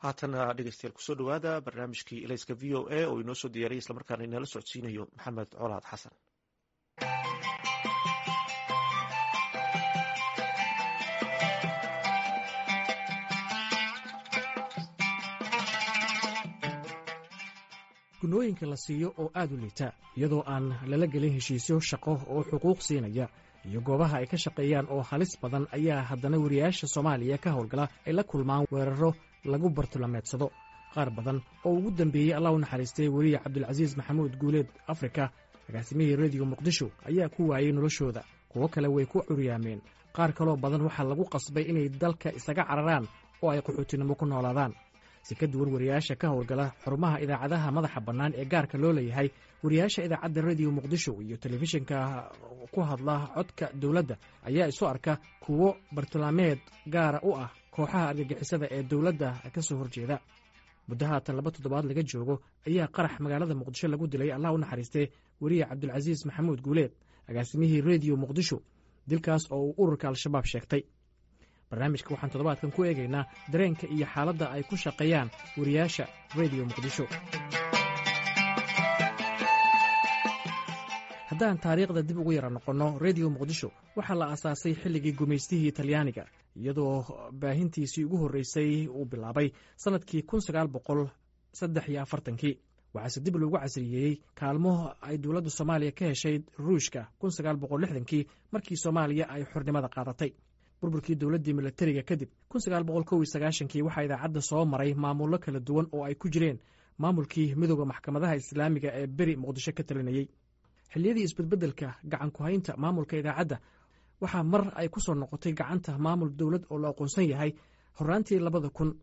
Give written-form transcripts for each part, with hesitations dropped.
Haatana dhegeystayaal, kusoo dhowaada barnaamijkii Ilayska VOA oo inoo soo diyaariyay islamarkaana inala socodsiinayo Maxamed Colaad Xasan. Gunooyinka la siiyo oo aad u liita, iyadoo aan lala gelin heshiisyo shaqo oo xuquuq siinaya, iyo goobaha ay ka shaqeeyaan oo halis badan, ayaa haddana wariyaasha Soomaaliya ka howlgala ay la kulmaan weeraro lagu bartulameedsado. Qaar badan oo ugu dambeeyey, Allah u naxariistay, weriye Cabdulcasiis Maxamuud Guuleed Afrika, agaasimihii Rediyo Muqdisho, ayaa ku waayey noloshooda. Kuwo kale way ku curyaameen. Qaar kaloo badan waxaa lagu qasbay inay dalka isaga cararaan oo ay qaxootinimo ku noolaadaan. Si ka duwan wariyaasha ka howlgala xarumaha idaacadaha madaxa bannaan ee gaarka loo leeyahay, wariyaasha idaacadda Rediyo Muqdisho iyo telefishinka ku hadla codka dowladda ayaa isu arka kuwo bartilmaameed gaara u ah kooxaha argagixisada ee dowladda ka soo horjeeda. Muddo haatan 2 toddobaad laga joogo ayaa qarax magaalada Muqdisho lagu dilay, Allah u naxariistee, weriye Cabdulcasiis Maxamuud Guuleed, agaasimihii Rediyo Muqdisho, dilkaas oo uu ururka Al-Shabaab sheegtay. Barnaamijka waxaan toddobaadkan ku eegaynaa dareenka iyo xaaladda ay ku shaqeeyaan wariyaasha Rediyo Muqdisho. Haddaan taariikhda dib ugu yara noqonno, Rediyo Muqdisho waxaa la aasaasay xilligii gumaystihii Talyaaniga, iyadoo baahintiisii ugu horreysay uu bilaabay sannadkii 1943-kii. Waxaase dib loogu casriyeeyey kaalmo ay dowladda Soomaaliya ka heshay Ruushka 1960-kii, markii Soomaaliya ay xornimada qaadatay. Burburkii dowladdii milatariga kadib, 1991-kii, waxaa idaacadda soo maray maamullo kala duwan oo ay ku jireen maamulkii Midooda Maxkamadaha Islaamiga ee beri Muqdisho ka talinayey. Xilliyadii isbedbeddelka gacan ku-haynta maamulka idaacadda, waxaa mar ay ku soo noqotay gacanta maamul dowlad oo la aqoonsan yahay horraantii 2000,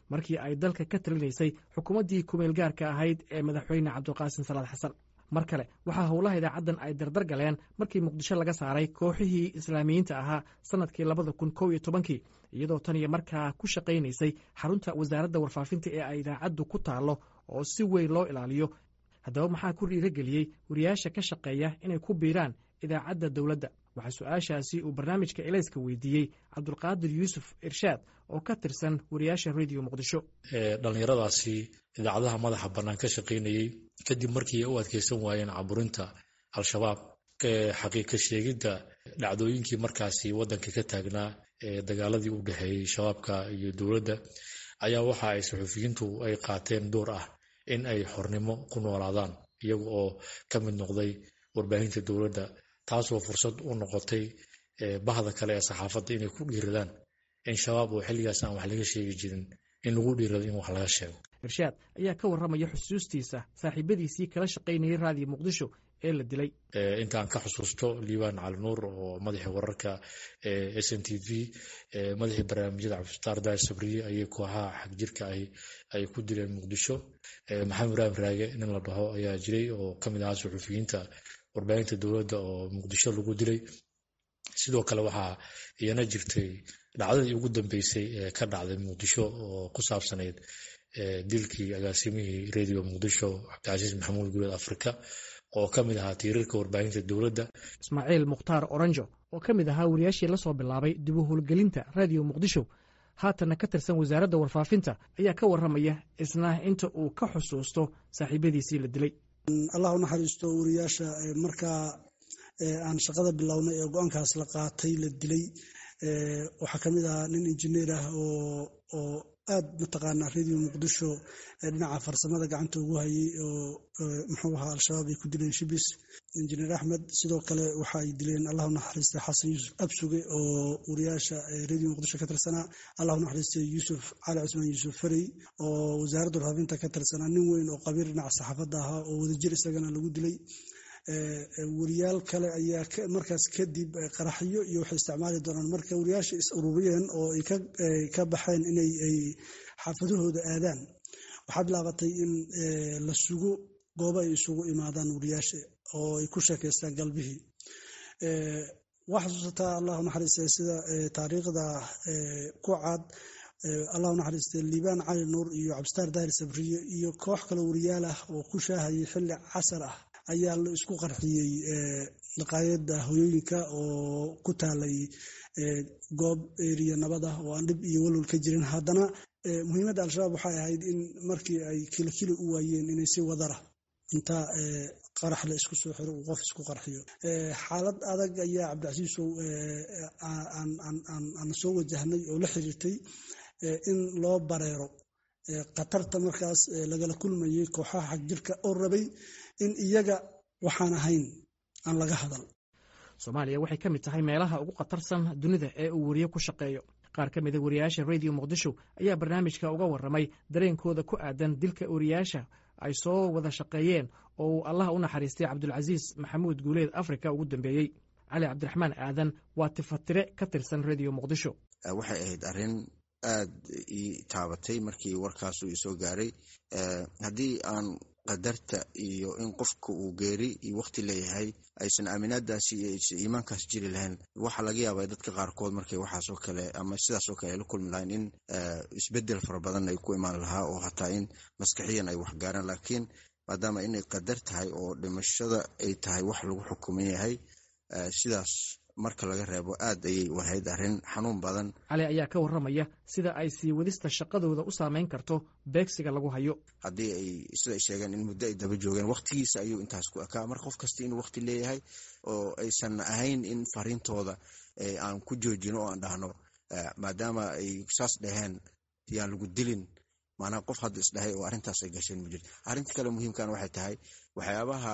markii ay dalka ka talinaysay xukuumaddii kumeel gaarka ahayd ee madaxweyne Cabdulqaasim Salaad Xasan. Mar kale waxaa howlaha idaacaddan ay dardar galeen markii Muqdisho laga saaray kooxihii Islaamiyiinta ahaa sannadkii 2011-kii, iyadoo tan iyo markaa ku shaqaynaysay xarunta wasaaradda warfaafinta ee ay idaacaddu ku taallo oo si weyn loo ilaaliyo. Haddaba, maxaa ku dhiirageliyey wariyaasha ka shaqeeya inay ku biiraan idaacadda dowladda? Waxaa su-aashaasi uu barnaamijka Elayska weydiiyey Cabdulqaadir Yuusuf Irshaad oo ka tirsan wariyaasha Rediyo Muqdisho. Dhallinyaradaasi idaacadaha madaxa bannaan ka shaqaynayey, kadib markii ay u adkeysan waayeen caburinta Al-Shabaab, xaqiiqa sheegidda dhacdooyinkii markaasi waddanka ka taagnaa ee dagaaladii u dhexeeyey Shabaabka iyo dowladda, ayaa waxa ay suxufiyiintu ay qaateen door ah in ay xornimo ku noolaadaan, iyaga oo ka mid noqday warbaahinta dowladda, taasoo fursad u noqotay bahda kale ee saxaafadda inay ku dhiiradaan in Shabaab oo xilligaas aan wax laga sheegi jirin in lagu dhiirado in wax laga sheego. Irshaad ayaa ka warramaya xusuustiisa saaxiibadiisii kala shaqaynayay Raadiyo Muqdisho ee la dilay. Intaan ka xusuusto, Liibaan Cali Nuur oo madaxii wararka SNTV, madaxii barnaamijyada Cabdifataar Daahir Sabriye ayay kooxaha xagjirka ay ku dileen Muqdisho. Maxamed Ibraahim Raage nin la dhaho ayaa jiray oo ka mid ahaa suxufiyiinta warbaahinta dowladda oo Muqdisho lagu dilay. Sidoo kale waxaa iyana jirtay dhacdadii ugu dambeysay ee ka dhacday Muqdisho oo ku saabsanayd dilkii agaasimihii Radio Muqdisho, Cabdicasiis Maxamuud Guuleed Afrika, oo ka mid ahaa tiirarka warbaahinta dowladda. Ismaaciil Mukhtaar Oranjo oo ka mid ahaa wariyaashii la soo bilaabay dib u howlgelinta Raadiyo Muqdisho, haatanna ka tirsan wasaaradda warfaafinta, ayaa ka warramaya isna inta uu ka xusuusto saaxiibadiisii la dilay. Allah u naxariisto wariyaasha markaa aan shaqada bilownay ee go-aankaas la qaatay la dilay. Waxaa ka mid ahaa nin injineer ah oo aad mataqaanaa Radio Muqdisho dhinaca farsamada gacanta ugu hayay, oo muxuu ahaa, Al-Shabaab ay ku dileen Shibis, Injineer Axmed. Sidoo kale waxa ay dileen, Allah u naxariistay, Xasan Yuusuf Absuge oo wariyaasha Radio Muqdisho ka tirsanaa. Allah u naxariistay Yuusuf Cali Cusmaan, Yuusuf Farey, oo wasaaradda warfaafinta ka tirsanaa, nin weyn oo qabiir dhinaca saxaafadda ahaa oo wadajir isagana lagu dilay. Wariyaal kale ayaa markaas kadib qaraxyo iyo waxay isticmaali doonaan. Marka wariyaasha is ururiyeen oo ay ka baxeen inay ay xaafadahooda aadaan, waxaa bilaabatay in la sugo goobo ay isugu imaadaan wariyaasha oo ay ku sheekaystaan galbihii. Waa xasuusataa, Allah u naxariistay, sida taariikhda ku cad, Allah u naxariistay, Liibaan Cali Nuur iyo Cabdisataar Daahir Sabriye iyo koox kale wariyaal ah oo ku shaahayay xilli casar ah ayaa la isku qarxiyey. maqaayadda hoyooyinka oo ku taalay goob eriya nabad ah oo aan dhib iyo walwal ka jirin. Haddana muhiimadda Al-Shabaab waxay ahayd in markii ay kilikili u waayeen inay si wadara inta qarax la isku soo xiro uu qof isku qarxiyo. Xaalad adag ayaa, Cabdicasiisow, aan soo wajahnay oo la xiriirtay in loo bareero khatarta markaas lagala kulmayay kooxaha xagjirka oo rabay in iyaga waxaan ahayn aan laga hadal. Soomaaliya waxay ka mid tahay meelaha ugu khatarsan dunida ee uu weriye ku shaqeeyo. Qaar ka mida wariyaasha Radio Muqdisho ayaa barnaamijka uga warramay dareenkooda ku aadan dilka wariyaasha ay soo wada shaqeeyeen oo uu Allah u naxariistay Cabdulcasiis Maxamuud Guuleed Afrika ugu dambeeyey. Cali Cabdiraxmaan Aadan waa tifatire ka tirsan Radio Muqdisho. Waxay ahayd arrin aad ii taabatay markii warkaas uu isoo gaaray. Haddii aan qadarta iyo in qofka uu geeri iyo waqti leeyahay aysan aaminaadaasi iyo iimaankaas jiri lahayn, waxaa laga yaabaa dadka qaarkood markay waxaasoo kale ama sidaasoo kale ay la kulmi lahayn in isbedel fara badan ay ku imaan lahaa oo hataa in maskaxiyan ay waxgaaraan. Laakiin maadaama inay qadar tahay oo dhimashada ay tahay wax lagu xukuman yahay, sidaas marka laga reebo, aad ayay u ahayd arrin xanuun badan. Cali ayaa ka warramaya sida ay sii wadista shaqadooda u saameyn karto beegsiga lagu hayo. Haddii ay sida ay sheegeen in muddo ay daba joogeen, waqtigiisa ayuu intaas ku ekaa. Marka qof kasta inuu waqti leeyahay oo aysan ahayn in fariintooda aan ku joojino oo aan dhahno maadaama ay saas dhaheen yaan lagu dilin. Maanaa qof hadda isdhahay oo arrintaas ay gasheen ma jirto. Arrinta kale muhiimkan waxay tahay, waxyaabaha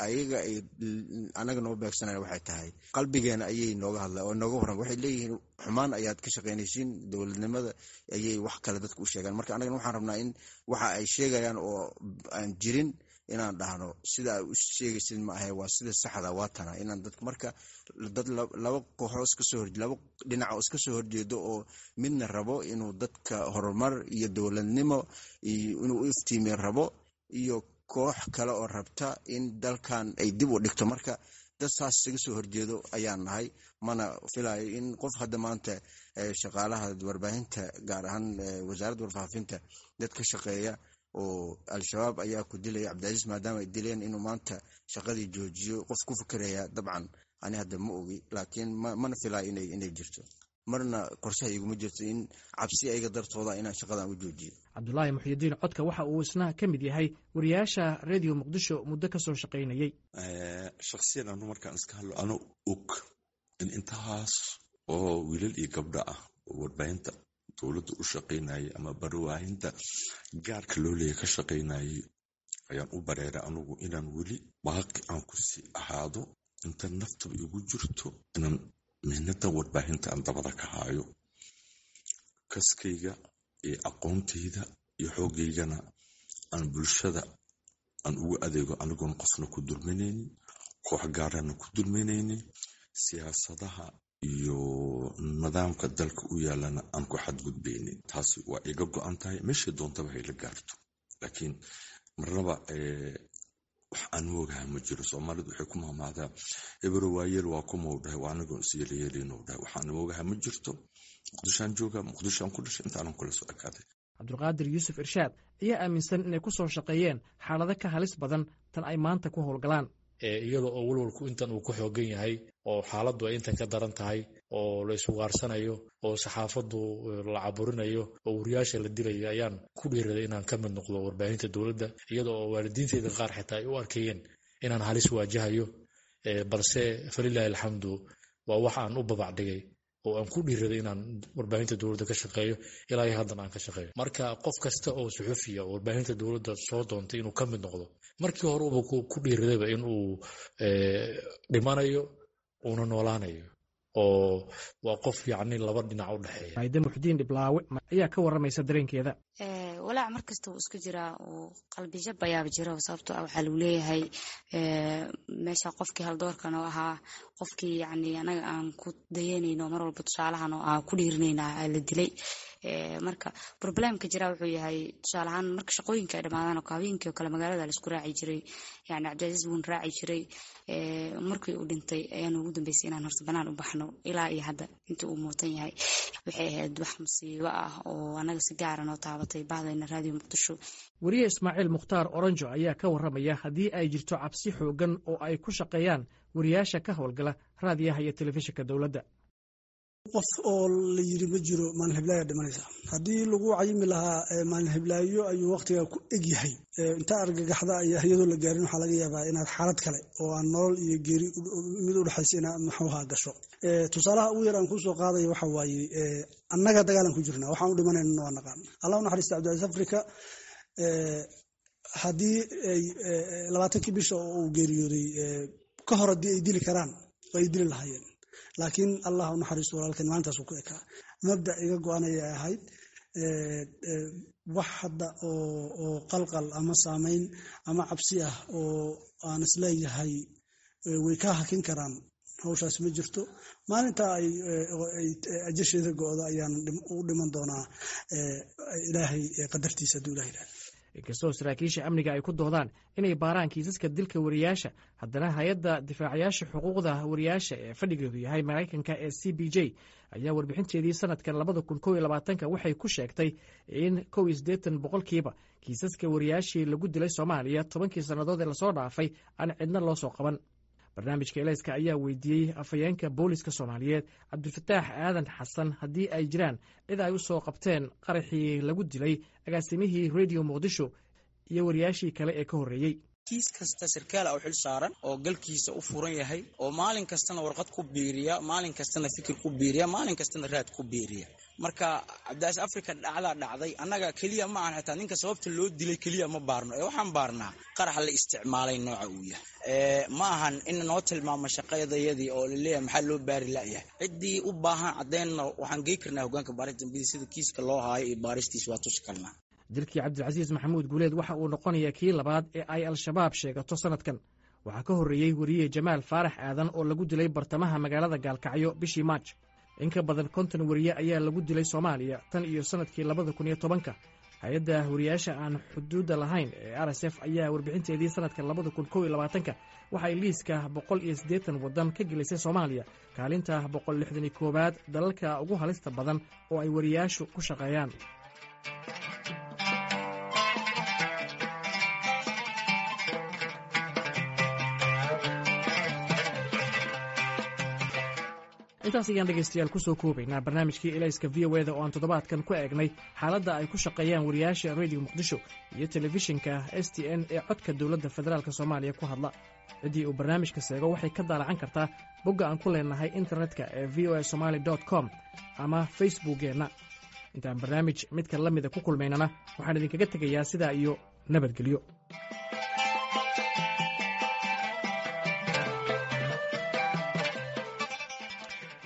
ayaga ay anaga noo beegsanaya waxay tahay qalbigeena ayay nooga hadla oo nooga warram. Waxay leeyihiin xumaan ayaad ka shaqaynaysiin, dowladnimada ayay wax kale dadka u sheegaan. Marka anagana waxaan rabnaa in waxa ay sheegayaan oo aan jirin inaan dhahno sida ay u sheegaysid ma ahe, waa sida saxda, waa tana. Inaan dad marka dad laba kooxoo iskasoo hor laba dhinac oo iska soo horjeedo oo midna rabo inuu dadka horumar iyo dowladnimo iyo inuu u iftiimiyo rabo iyo koox kale oo rabta in dalkan ay dib u dhigto. Marka dad saas isaga soo horjeedo ayaan nahay. Mana filayo in qof hadda maanta shaqaalaha warbaahinta, gaar ahaan wasaaradda warfaafinta dad ka shaqeeya oo Al-Shabaab ayaa ku dilaya Cabdicasiis maadaama ay dileen inuu maanta shaqadii joojiyo qof ku fikeraya dabcan ani hadda ma ogi, laakiin mana filayo inay jirto. Marna qorshaha iguma jirto in cabsi ayaga dartooda inaan shaqadan u joojiyo. Cabdulaahi Muxyidiin Codka waxa uu isna ka mid yahay wariyaasha Radio Muqdisho muddo ka soo shaqaynayey. Shaksiyan anu markaan iska hadlo, ano og in intahaas oo wiilal iyo gabdho ah oo warbaahinta dowladda u shaqaynayay ama barwaahinta gaarka loo leeya ka shaqaynayay ayaan u bareeray anugu inaan weli baaqi aan kusii ahaado inta naftaba igu jirto, inaan mihnadan warbaahinta aan dabada ka haayo, kaskayga iyo aqoontayda iyo xoogaygana aan bulshada aan ugu adeego, anigoon qofna ku dulminaynin, koox gaarana ku dulminaynin, siyaasadaha iyo nidaamka dalka u yaalana aan ku xadgudbaynin. Taasi waa iga go-an tahay, meeshay doontaba hayla gaarto. Laakiin marnaba wax aan moogaha ma jiro. Soomaalidu waxay ku mahmahdaa "Hebero waayeel waa kumau dhahay, waa anigoon is yeelayeelinuu dhahay." Waxaan moogaha ma jirto. Muqdishoaan jooga, Muqdishoaan ku dhashay, intaanan kula soo ekaaday. Cabdulqaadir Yuusuf Irshaad ayaa aaminsan inay ku soo shaqeeyeen xaalado ka halis badan tan ay maanta ku howlgalaan. Iyada oo walwalku intan uu ku xoogan yahay oo xaaladdu ay intan ka daran tahay oo la isugaarsanayo oo saxaafaddu la caburinayo oo wariyaasha la dilayo, ayaan ku dhiiraday inaan ka mid noqdo warbaahinta dowladda, iyada oo waalidiinteyda qaar xitaa ay u arkayeen inaan halis waajahayo. Balse falilaahi alxamdu, waa wax aan u babac dhigay oo aan ku dhiiraday inaan warbaahinta dowladda ka shaqeeyo, ilaa iyo haddana aan ka shaqeeyo. Marka qof kasta oo suxufiya oo warbaahinta dowladda soo doontay inuu ka mid noqdo, markii hore uba ku dhiiradayba in uu dhimanayo uuna noolaanayo, oo waa qof yacni laba dhinac u dhexeeya. Maayde Muxdiin Dhiblaawe ayaa ka warramaysa dareenkeeda. Walaac mar kasta wuu isku jiraa oo qalbijab ayaaba jira, sababtoo ah waxaa lagu leeyahay meesha qofkii haldoorkan oo ahaa, qofkii yacni anaga aan ku dayanayno mar walba, tusaalahan oo aan ku dhiirinayna la dilay. Marka problemka jira wuxuu yahay, tusaale ahaan, marka shaqooyinka ay dhamaadaan oo habeenkii oo kale magaalada la isku raaci jiray, yani Cabdicasiis wuun raaci jiray. Markii uu dhintay ayaan ugu dambeysay inaan horta banaan u baxno. Ilaa iyo hadda inta uu muutan yahay waxay ahayd wax musiibo ah. oo anaga si gaara noo taabatay bahdayna Raadiyo Muqdisho. Weriye Ismaaciil Mukhtaar Oranjo ayaa ka warramaya haddii ay jirto cabsi xooggan oo ay ku shaqeeyaan wariyaasha ka howlgala raadiyaha iyo telefishinka dowladda. Qof oo la yiri ma jiro maalin hiblaayo dhimanaysa. Haddii lagu cayimi lahaa maalin hiblaayo ayuu waqtiga ku egyahay, inta argagaxda ayaa iyadoo la gaarin waxaa laga yaabaa inaad xaalad kale oo aan nolol iyo geeri mid udhexaysa inaad maxuuha gasho. Tusaalaha ugu yar aan kusoo qaadaya waxa waaye, annaga dagaalan ku jirnaa, waxaan u dhimanayna waa naqaan. Allah u naxariista Cabdilcasiis Africa, haddii ay 20kii bisha oo uu geeriyooday ka hor haddii ay dili karaan ay dili lahaayeen, laakiin Allah u naxariisto walaalkan maalintaas uu ku ekaa. Mabda iga go-anaya ahayd wax hadda oo qalqal ama saameyn ama cabsi ah oo aan isleeyahay way ka hakin karaan hawshaas ma jirto. Maalinta ay ajasheeda go-do ayaan u dhiman doonaa Ilaahay qadartiisa hadduu Ilah yidhahdo. Inkastoo saraakiisha amniga ay ku doodaan inay baaraan kiisaska dilka wariyaasha, haddana hay-adda difaacayaasha xuquuqda wariyaasha ee fadhigeedu yahay Maraykanka ee CPJ ayaa warbixinteedii sanadkan 2021-ka waxay ku sheegtay in 81% kiisaska wariyaashii lagu dilay Soomaaliya 10kii sannadood ee lasoo dhaafay aan cidna loo soo qaban. Barnaamijka Elayska ayaa weydiiyey afhayeenka booliska Soomaaliyeed Cabdifataax Aadan Xasan haddii ay jiraan cid ay u soo qabteen qaraxii lagu dilay agaasimihii Radio Muqdisho iyo wariyaashii kale ee ka horreeyey. Kiis kasta sarkaal u xil saaran oo galkiisa u furan yahay oo maalin kastana warqad ku biiriya, maalin kastana fikir ku biiriya, maalin kastana raad ku biiriya. Marka Cabdicaziis Africa dhacdaa dhacday, annaga keliya ma ahan, xitaa ninka sababta loo dilay keliya ma baarno ee waxaan baarnaa qaraxa la isticmaalay nooca uu yahay. Ma ahan in noo tilmaamo shaqadayadii oo laleeyahay maxaa loo baari la'yahay. Ciddii u baahan caddeynna waxaan gey karnaa hogaanka baarista dambiyada, sida kiiska loo haayo iyo baaristiis waa tusi karnaa. Dilkii Cabdilcasiis Maxamuud Guuleed waxa uu noqonayaa kii labaad ee ay Al-Shabaab sheegato sanadkan. Waxaa ka horreeyey weriye Jamaal Faarax Aadan oo lagu dilay bartamaha magaalada Gaalkacyo bishii Maaj. In ka badan 50 weriye ayaa lagu dilay Soomaaliya tan iyo sannadkii 2010-ka. Hay-adda wariyaasha aan xuduudda lahayn ee RSF ayaa warbixinteedii sanadka 2021-ka waxay liiska 180 waddan ka gelisay Soomaaliya kaalinta 161aad dalalka ugu halista badan oo ay wariyaashu ku shaqeeyaan. Intaas ayaan dhegaystayaal kusoo koobaynaa barnaamijkii Elayska V O eda oo aan toddobaadkan ku eegnay xaaladda ay ku shaqeeyaan wariyaasha Radio Muqdisho iyo telefishinka STN ee codka dowladda federaalk Soomaaliya ku hadla. Ciddii uu barnaamijka seego waxay ka daalacan kartaa bogga aan ku leenahay internetka ee VOA Somaly com ama Facebookkeenna. Intaan barnaamij midka la mida ku kulmaynana waxaan idinkaga tegayaa sidaa iyo nabadgelyo.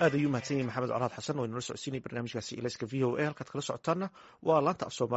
Aad ayuu mahadsan yahay Maxamed Colaad Xasan oo inala socodsiinay barnaamijkaasi Ilayska V O A. Halkaad kala socotaanna waa laanta af Soomali.